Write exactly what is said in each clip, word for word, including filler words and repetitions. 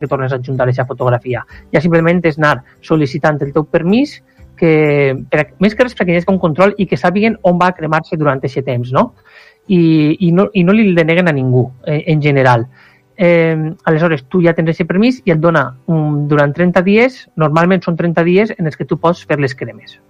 que tornes a adjuntar aquesta fotografia. Ja simplement és anar sol·licitant el teu permís, que, per, més que res perquè hi ha un control i que sàpiguen on va cremar-se durant aquest temps, no? I, i, no, i no li deneguen a ningú, eh, en general. Eh, aleshores, tu ja tens aquest permís i et dona um, durant trenta dies, normalment són trenta dies en els que tu pots fer les cremes.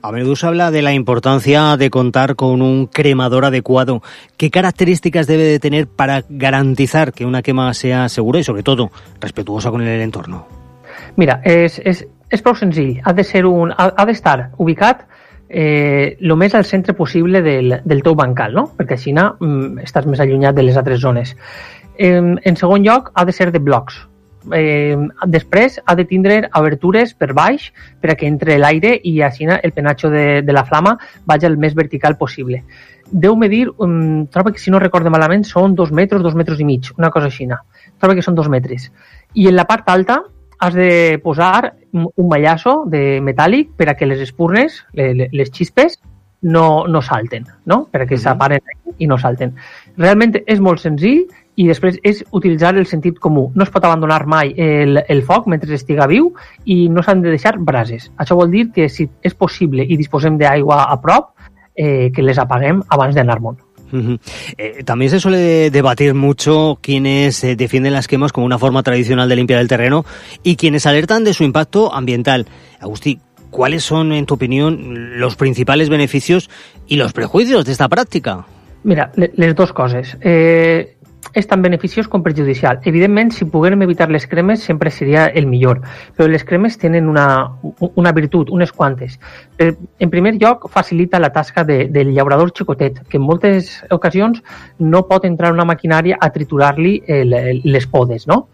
A menudo se habla de la importancia de contar con un cremador adecuado. ¿Qué características debe de tener para garantizar que una quema sea segura y, sobre todo, respetuosa con el entorno? Mira, és, és, és prou senzill. Ha de ser un, ha, ha d'estar ubicat eh, el més al centre possible del, del teu bancal, no? Perquè així mm, estàs més allunyat de les altres zones. Eh, en segon lloc, ha de ser de blocs. Eh, després ha de tindre obertures per baix per a que entre l'aire i així el penatge de, de la flama vagi el més vertical possible. Deu medir, um, trobo que si no recorde malament són dos metres, dos metres i mig, una cosa així. Trobo que són dos metres. I en la part alta has de posar un mallasso de metàl·lic per a que les espurnes, les, les xispes, no, no salten, no? Per a que uh-huh. s'aparen i no salten. Realment és molt senzill i després és utilitzar el sentit comú. No es pot abandonar mai el, el foc mentre estiga viu i no s'han de deixar brases. Això vol dir que si és possible i disposem d'aigua a prop, eh, que les apaguem abans d'anar-me'n. Uh-huh. Eh, también se suele debatir mucho quienes eh, defienden las quemas como una forma tradicional de limpiar el terreno y quienes alertan de su impacto ambiental. Agustí, ¿cuáles son, en tu opinión, los principales beneficios y los prejuicios de esta práctica? Mira, les dues coses. Eh, és tan beneficiós com perjudicial. Evidentment, si poguérem evitar les cremes, sempre seria el millor. Però les cremes tenen una, una virtut, unes quantes. En primer lloc, facilita la tasca de, del llaurador xicotet, que en moltes ocasions no pot entrar una maquinària a triturar-li el, el, les podes, no?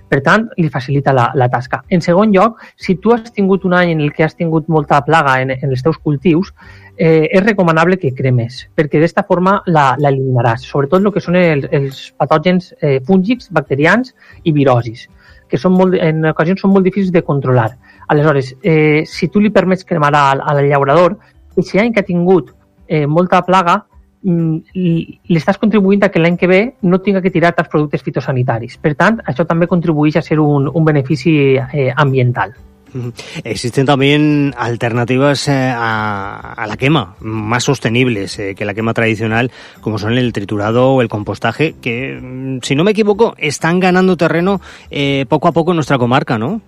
Per tant, li facilita la, la tasca. En segon lloc, si tu has tingut un any en el que has tingut molta plaga en, en els teus cultius, eh, és recomanable que cremes, perquè d'esta forma la, la eliminaràs, sobretot el que són els, els patògens eh, fúngics, bacterians i virosis, que són molt, en ocasions són molt difícils de controlar. Aleshores, eh, si tu li permets cremar al, al llaurador, si any que ha tingut eh, molta plaga, li estàs contribuint a que l'any que ve no tinga que tirar els productes fitosanitaris. Per tant, això també contribueix a ser un, un benefici eh, ambiental. Existen también alternativas eh, a, a la quema, más sostenibles eh, que la quema tradicional, como son el triturado o el compostaje, que, si no me equivoco, están ganando terreno eh, poco a poco en nuestra comarca, ¿no?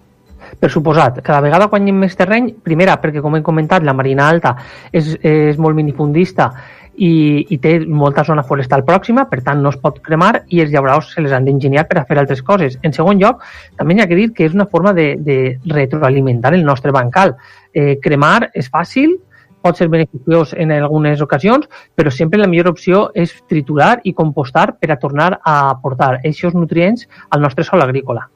Per suposat, cada vegada guanyem més terreny, primera, perquè com hem comentat, la Marina Alta és, és molt minifundista i, i té molta zona forestal pròxima, per tant no es pot cremar i els llauradors se les han d'enginyar per a fer altres coses. En segon lloc, també hi ha que dir que és una forma de, de retroalimentar el nostre bancal. Eh, cremar és fàcil, pot ser beneficiós en algunes ocasions, però sempre la millor opció és triturar i compostar per a tornar a aportar aquests nutrients al nostre sòl agrícola.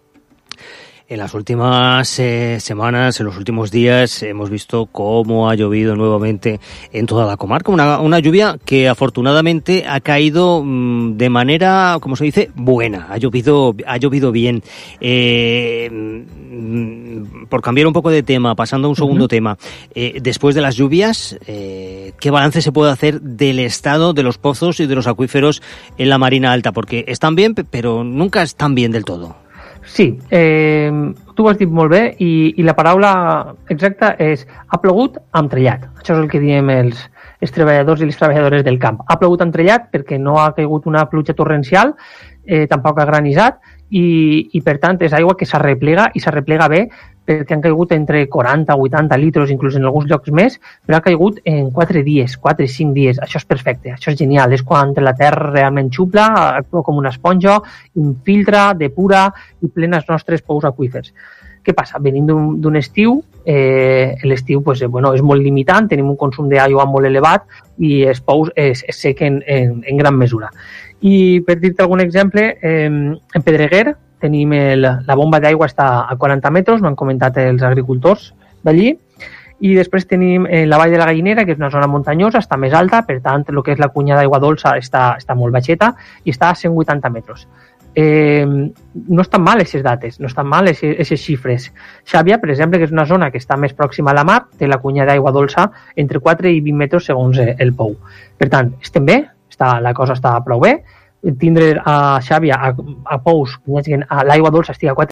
En las últimas eh, semanas, en los últimos días, hemos visto cómo ha llovido nuevamente en toda la comarca. Una, una lluvia que afortunadamente ha caído mmm, de manera, como se dice, buena. Ha llovido, ha llovido bien. Eh, mmm, por cambiar un poco de tema, pasando a un segundo uh-huh. tema. Eh, después de las lluvias, eh, ¿qué balance se puede hacer del estado de los pozos y de los acuíferos en la Marina Alta? Porque están bien, pero nunca están bien del todo. Sí, eh, tu ho has dit molt bé i, i la paraula exacta és ha plogut amb trellat. Això és el que diem els, els treballadors i les treballadores del camp. Ha plogut amb trellat perquè no ha caigut una pluja torrencial, eh, tampoc ha granissat i, i per tant és aigua que s'arreplega i s'arreplega bé perquè han caigut entre quaranta o vuitanta litres, inclús en alguns llocs més, però ha caigut en quatre dies, quatre o cinc dies. Això és perfecte, això és genial. És quan la terra realment xupla, actua com una esponja, infiltra, depura i plena els nostres pous aqüífers. Què passa? Venim d'un, d'un estiu, eh, l'estiu pues, bueno, és molt limitant, tenim un consum d'aigua molt elevat i els pous es, es sequen en, en gran mesura. I per dir-te algun exemple, eh, en Pedreguer tenim el, la bomba d'aigua està a quaranta metres, m'han comentat els agricultors d'allí, i després tenim eh, la Vall de la Gallinera, que és una zona muntanyosa, està més alta, per tant, el que és la cunya d'aigua dolça està, està molt baixeta i està a cent vuitanta metres. Eh, no estan mal aquestes dates, no estan mal aquestes xifres. Xàbia, per exemple, que és una zona que està més pròxima a la mar, té la cunya d'aigua dolça entre quatre i vint metres segons el pou. Per tant, estem bé, està, la cosa està prou bé, tindre a Xàbia, a, a Pous, que l'aigua dolça estigui a quatre